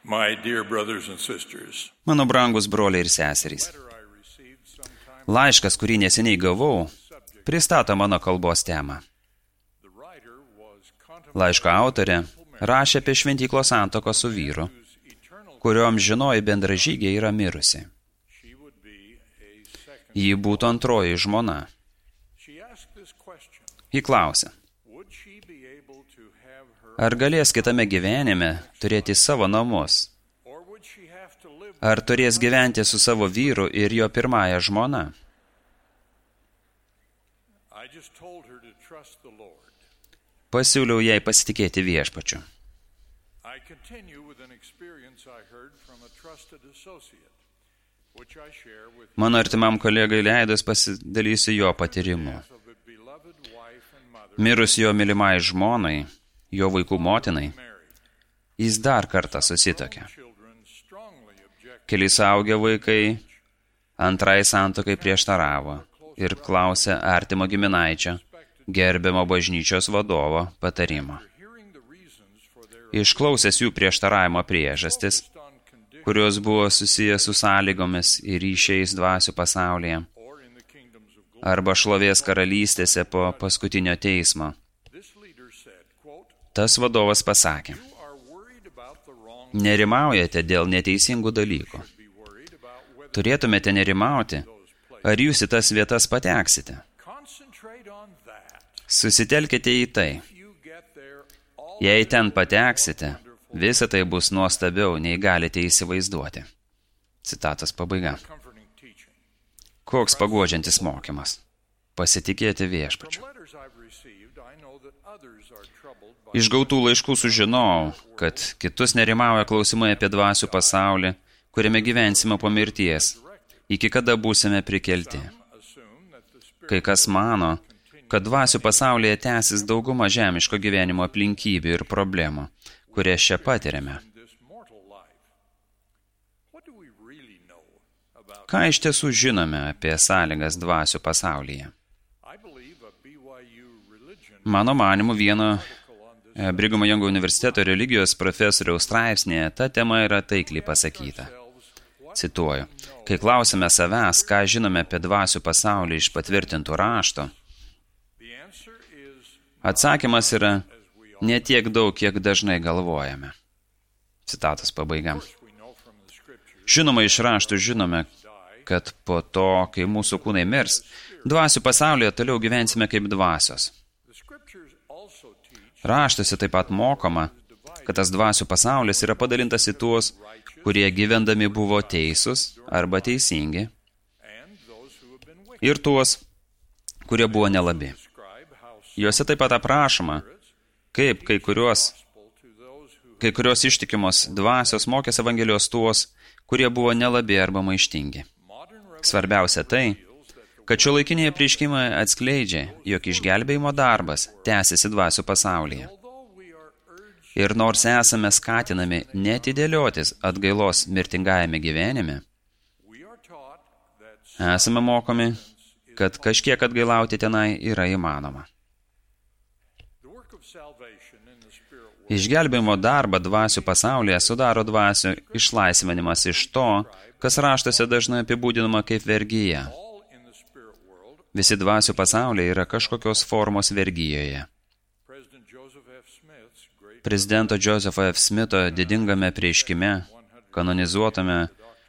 My dear brothers and sisters, Mano brangus broliai ir seserys. Laiškas, kurį neseniai gavau, pristato mano kalbos temą. Laiško autorė rašė apie šventyklos santuoką su vyru, kurio amžinoji bendražygė yra mirusi. Ji būtų antroji žmona. Ji klausė, ar galės kitame gyvenime turėti savo namus? Ar turės gyventi su savo vyru ir jo pirmąja žmona? Pasiūliau jai pasitikėti viešpačiu. Mano artimam kolegai leidus pasidalysiu jo patyrimu. Mirus jo mylimai žmonai, jo vaikų motinai, jis dar kartą susituokė. Keli suaugę vaikai antrai santuokai prieštaravo ir klausė artimo giminaičio, gerbiamo bažnyčios vadovo patarimo. Išklausęs jų prieštaravimo priežastis, kurios buvo susijęs su sąlygomis ir ryšiais dvasių pasaulyje, arba šlovės karalystėse po paskutinio teismo, tas vadovas pasakė, nerimaujate dėl neteisingų dalykų. Turėtumėte nerimauti, ar jūs į tas vietas pateksite. Susitelkite į tai. Jei ten pateksite, visa tai bus nuostabiau, nei galite įsivaizduoti. Citatos pabaiga. Koks paguodžiantis mokymas. Pasitikėti viešpačiu. Iš gautų laiškų sužinojau, kad kitus nerimauja klausimai apie dvasių pasaulį, kuriame gyvensime po mirties, iki kada būsime prikelti. Kai kas mano, kad dvasių pasaulyje tęsis dauguma žemiško gyvenimo aplinkybių ir problemų, kurias čia patiriame. Ką iš tiesų žinome apie sąlygas dvasių pasaulyje? Mano manymu, vieno Brighamo Youngo universiteto religijos profesoriaus straipsnėje ta tema yra taikliai pasakyta. Cituoju, kai klausime savęs, ką žinome apie dvasių pasaulį iš patvirtintų rašto, atsakymas yra ne tiek daug, kiek dažnai galvojame. Citatos pabaiga. Žinoma, iš raštų žinome, kad po to, kai mūsų kūnai mirs, dvasių pasaulyje toliau gyvensime kaip dvasios. Raštuose taip pat mokoma, kad tas dvasių pasaulis yra padalintas į tuos, kurie gyvendami buvo teisūs arba teisingi, ir tuos, kurie buvo nelabi. Juose taip pat aprašoma, kaip kai kurios ištikimos dvasios mokės Evangelijos tuos, kurie buvo nelabi arba maištingi. Svarbiausia tai, kad šiuolaikiniai apreiškimai atskleidžia, jog išgelbėjimo darbas tęsiasi dvasių pasaulyje. Ir nors esame skatinami neatidėliotis atgailos mirtingajame gyvenime, esame mokomi, kad kažkiek atgailauti tenai yra įmanoma. Išgelbėjimo darbą dvasių pasaulyje sudaro dvasių išlaisvinimas iš to, kas raštuose dažnai apibūdinama kaip vergyja. Visi dvasių pasaulyje yra kažkokios formos vergyjoje. Prezidento Josepho F. Smitho didingame apreiškime, kanonizuotame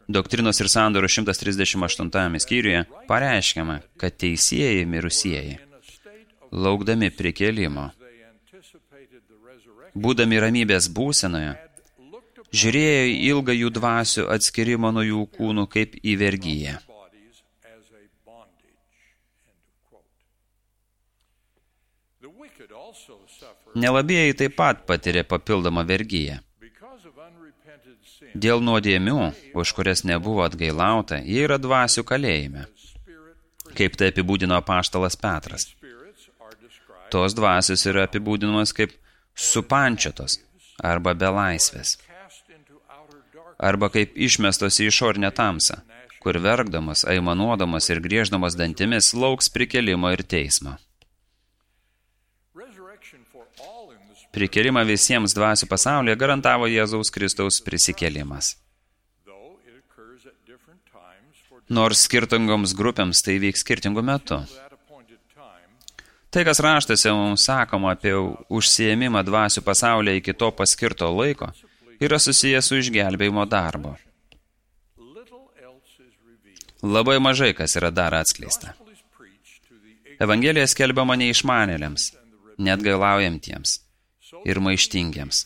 Doktrinos ir sandorų 138 skyriuje, pareiškiama, kad teisieji mirusieji, laukdami prikėlimo, būdami ramybės būsenoje, žiūrėjo į ilgą jų dvasių atskirimo nuo jų kūnų kaip į vergyją. Nelabieji taip pat patiria papildomą vergyją. Dėl nuodėmių, už kurias nebuvo atgailauta, jie yra dvasių kalėjime, kaip tai apibūdino apaštalas Petras. Tos dvasios yra apibūdinamos kaip supančiotos arba belaisvės, arba kaip išmestos į išorinę tamsą, kur verkdamas, aimanuodamas ir grieždamas dantimis lauks prikėlimo ir teismo. Prikėlimą visiems dvasių pasaulyje garantavo Jėzaus Kristaus prisikėlimas. Nors skirtingoms grupėms tai vyks skirtingų metų. Tai, kas raštuose mums sakoma apie užsiėmimą dvasių pasaulyje iki to paskirto laiko, yra susijęs su išgelbėjimo darbo. Labai mažai kas yra dar atskleista. Evangelija skelbiama neišmanėliams, neatgailaujantiems ir maištingiems,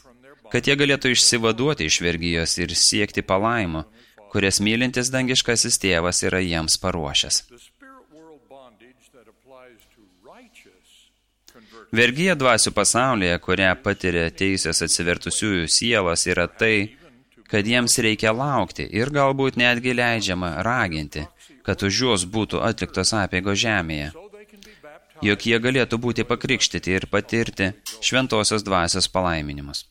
kad jie galėtų išsivaduoti iš vergijos ir siekti palaimo, kurias mylintis dangiškasis tėvas yra jiems paruošęs. Vergija dvasių pasaulyje, kurią patiria teisės atsivertusiųjų sielos, yra tai, kad jiems reikia laukti ir galbūt netgi leidžiama raginti, kad už juos būtų atliktos apeigos žemėje, jog jie galėtų būti pakrikštyti ir patirti šventosios dvasios palaiminimus.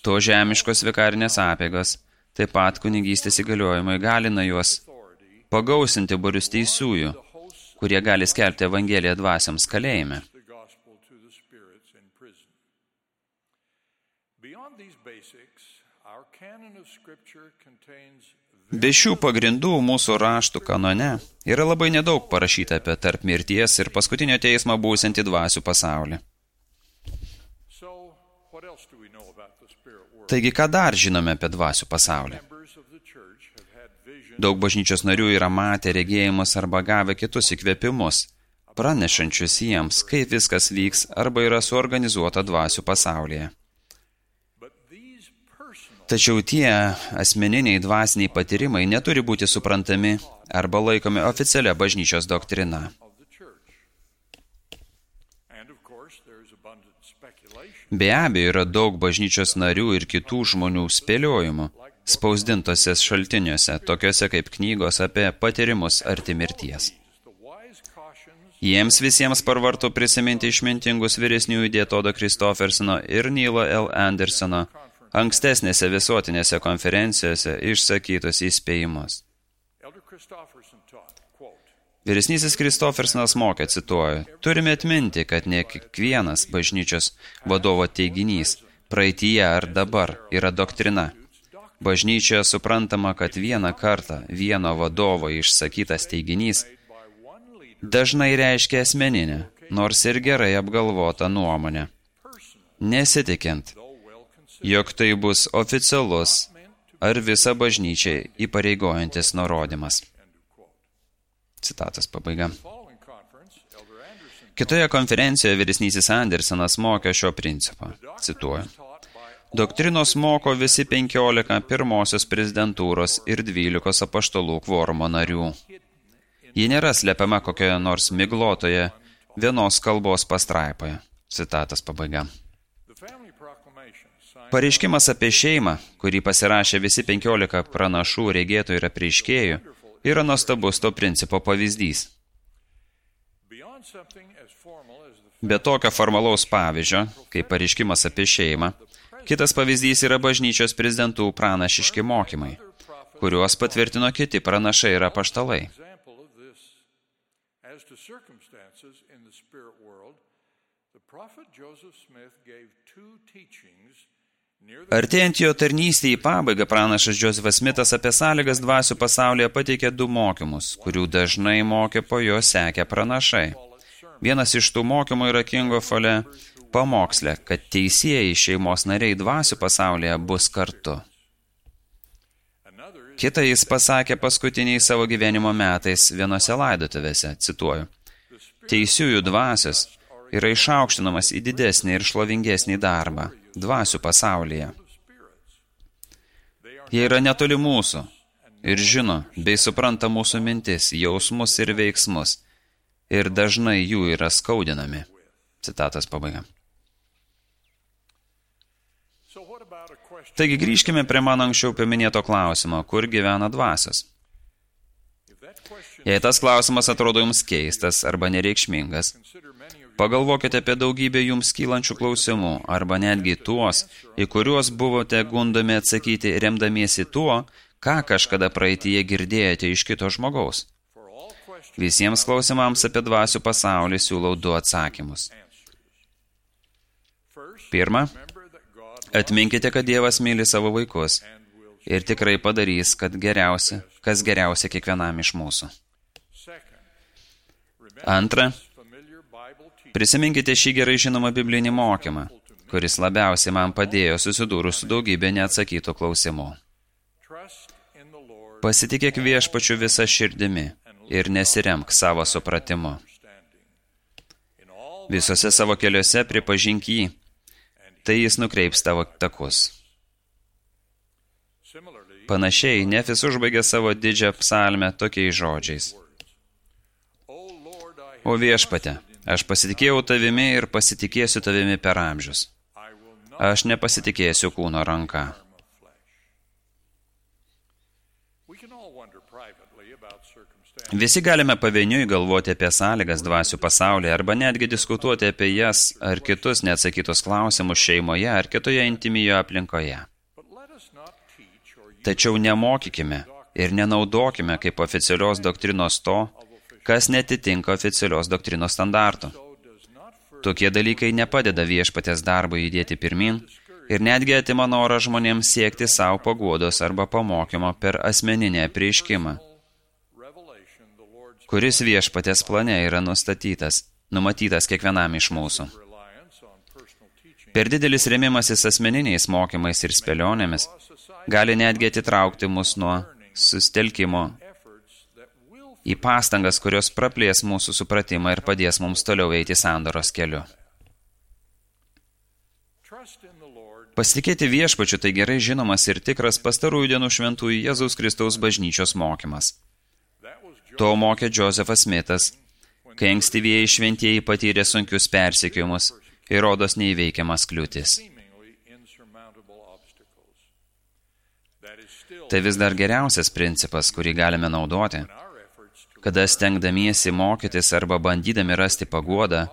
To žemiškos vikarinės apeigos, taip pat kunigystės įgaliojimai galina juos pagausinti būrius teisiųjų, kurie gali skelbti Evangeliją dvasioms kalėjime. Be šių pagrindų mūsų raštų kanone yra labai nedaug parašyta apie tarp mirties ir paskutinio teismo būsiantį dvasių pasaulį. Taigi, ką dar žinome apie dvasių pasaulį? Daug bažnyčios narių yra matę regėjimus arba gavę kitus įkvėpimus, pranešančius jiems, kaip viskas vyks arba yra suorganizuota dvasių pasaulyje. Tačiau tie asmeniniai dvasiniai patyrimai neturi būti suprantami arba laikomi oficialia bažnyčios doktrina. Be abejo, yra daug bažnyčios narių ir kitų žmonių spėliojimų, spausdintose šaltiniuose, tokiuose kaip knygos apie patyrimus arti mirties. Jiems visiems parvartu prisiminti išmintingus vyresniųjų Dietodo Kristofersono ir Neilo L. Andersono ankstesnėse visuotinėse konferencijose išsakytus įspėjimus. Vyresnysis Kristofersonas mokė, cituoju, turime atminti, kad ne kiekvienas bažnyčios vadovo teiginys praeityje ar dabar yra doktrina. Bažnyčioje suprantama, kad vieną kartą vieno vadovo išsakytas teiginys dažnai reiškia asmeninę, nors ir gerai apgalvotą nuomonę. Nesitikint, jog tai bus oficialus ar visą bažnyčią įpareigojantis nurodymas. Citatos pabaiga. Kitoje konferencijoje vyresnysis Andersonas mokė šio principo. Cituoju. Doktrinos moko visi 15 pirmosios prezidentūros ir 12 apaštalų kvorumo narių. Ji nėra slepiama kokioje nors miglotoje vienos kalbos pastraipoje. Citatos pabaiga. Pareiškimas apie šeimą, kurį pasirašė visi 15 pranašų, regėtojų ir apreiškėjų, yra nuostabus to principo pavyzdys. Be tokio formalaus pavyzdžio, kaip pareiškimas apie šeimą, kitas pavyzdys yra bažnyčios prezidentų pranašiški mokymai, kuriuos patvirtino kiti pranašai ir apaštalai. Artėjant jo tarnystei į pabaigą, pranašas Joseph Smithas apie sąlygas dvasių pasaulyje pateikė 2 mokymus, kurių dažnai mokė po jo sekę pranašai. Vienas iš tų mokymų yra Kingo Fole pamokslė, kad teisieji šeimos nariai dvasių pasaulyje bus kartu. Kita jis pasakė paskutiniai savo gyvenimo metais vienose laidotuvėse, cituoju, teisiųjų dvasios yra išaukštinamas į didesnį ir šlovingesnį darbą dvasių pasaulyje. Jie yra netoli mūsų ir žino bei supranta mūsų mintis, jausmus ir veiksmus ir dažnai jų yra skaudinami. Citatos pabaiga. Taigi grįžkime prie mano anksčiau paminėto klausimo, kur gyvena dvasios. Jei tas klausimas atrodo jums keistas arba nereikšmingas, pagalvokite apie daugybę jums kylančių klausimų arba netgi tuos, į kuriuos buvote gundomi atsakyti remdamiesi tuo, ką kažkada praeityje girdėjote iš kito žmogaus. Visiems klausimams apie dvasių pasaulį siūlau 2 atsakymus. Pirma, atminkite, kad Dievas myli savo vaikus ir tikrai padarys, kas geriausia kiekvienam iš mūsų. Antra, prisiminkite šį gerai žinomą biblinį mokymą, kuris labiausiai man padėjo susidūrus su daugybė neatsakytų klausimų. Pasitikėk Viešpačiu visa širdimi ir nesiremk savo supratimu. Visose savo keliuose pripažink jį, tai jis nukreips tavo takus. Panašiai, Nefis užbaigė savo didžią psalmę tokiais žodžiais. O Viešpate, aš pasitikėjau tavimi ir pasitikėsiu tavimi per amžius. Aš nepasitikėsiu kūno ranka. Visi galime pavieniui galvoti apie sąlygas dvasių pasaulyje arba netgi diskutuoti apie jas ar kitus neatsakytus klausimus šeimoje ar kitoje intimijoje aplinkoje. Tačiau nemokykime ir nenaudokime kaip oficialios doktrinos to, kas netitinka oficialios doktrinos standartų. Tokie dalykai nepadeda Viešpaties darbui judėti pirmin ir netgi atima norą žmonėms siekti savo paguodos arba pamokymo per asmeninį apreiškimą, kuris Viešpaties plane yra numatytas kiekvienam iš mūsų. Per didelis rėmimasis asmeniniais mokymais ir spėlionėmis gali netgi atitraukti mus nuo susitelkimo į pastangas, kurios praplės mūsų supratimą ir padės mums toliau eiti sandoros keliu. Pasitikėti Viešpačiu tai gerai žinomas ir tikras pastarųjų dienų šventųjų Jėzaus Kristaus bažnyčios mokymas. To mokė Josephat Smithas, kai ankstyvieji šventieji patyrė sunkius persekiojimus ir rodos neįveikiamas kliūtis. Tai vis dar geriausias principas, kurį galime naudoti, kada stengdamiesi mokytis arba bandydami rasti paguodą,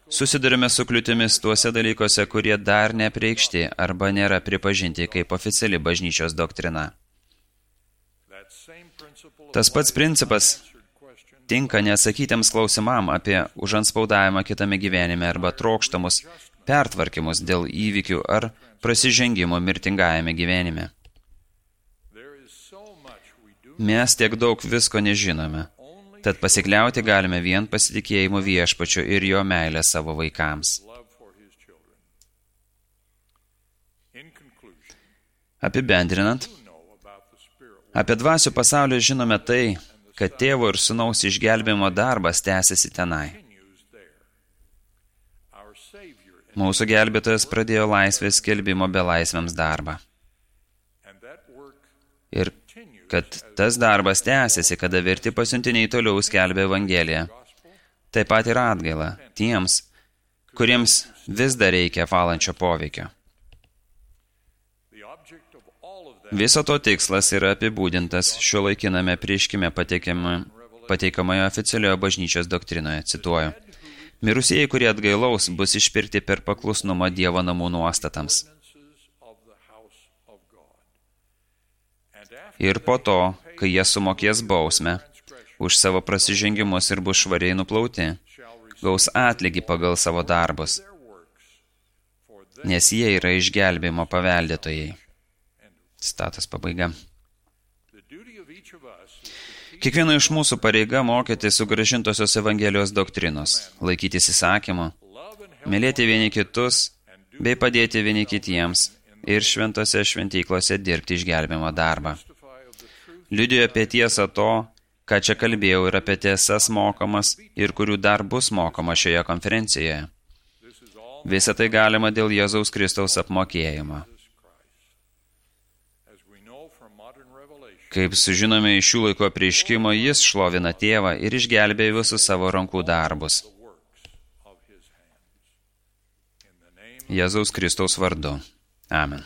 susidurime su kliūtimis tuose dalykuose, kurie dar neapreikšti arba nėra pripažinti kaip oficiali bažnyčios doktrina. Tas pats principas tinka neatsakytiems klausimam apie užantspaudavimą kitame gyvenime arba trokštamus pertvarkymus dėl įvykių ar prasižengimo mirtingajame gyvenime. Mes tiek daug visko nežinome, tad pasikliauti galime vien pasitikėjimu Viešpačiu ir jo meilę savo vaikams. Apibendrinant, apie dvasių pasaulį žinome tai, kad tėvo ir sūnaus išgelbėjimo darbas tęsiasi tenai. Mūsų gelbėtojas pradėjo laisvės skelbimo belaisviams darbą. Ir kad tas darbas tęsiasi, kada verti pasiuntiniai toliau skelbia Evangeliją. Taip pat ir atgaila tiems, kuriems vis dar reikia valančio poveikio. Viso to tikslas yra apibūdintas šiuolaikiname apreiškime pateikamoje oficialioje bažnyčios doktrinoje, cituoju. Mirusieji, kurie atgailaus, bus išpirkti per paklusnumą Dievo namų nuostatams. Ir po to, kai jie sumokės bausmę už savo prasižengimus ir bus švariai nuplauti, gaus atlygį pagal savo darbus, nes jie yra išgelbėjimo paveldėtojai. Citatos pabaiga. Kiekvieno iš mūsų pareiga mokyti sugrąžintosios Evangelijos doktrinos, laikytis įsakymų, mylėti vieni kitus, bei padėti vieni kitiems ir šventose šventyklose dirbti išgelbėjimo darbą. Liudijo apie tiesą to, ką čia kalbėjau, ir apie tiesas mokomas ir kurių dar bus mokoma šioje konferencijoje. Visą tai galima dėl Jėzaus Kristaus apmokėjimo. Kaip sužinome iš šių laikų apreiškimo, jis šlovina tėvą ir išgelbėja visus savo rankų darbus. Jėzaus Kristaus vardu. Amen.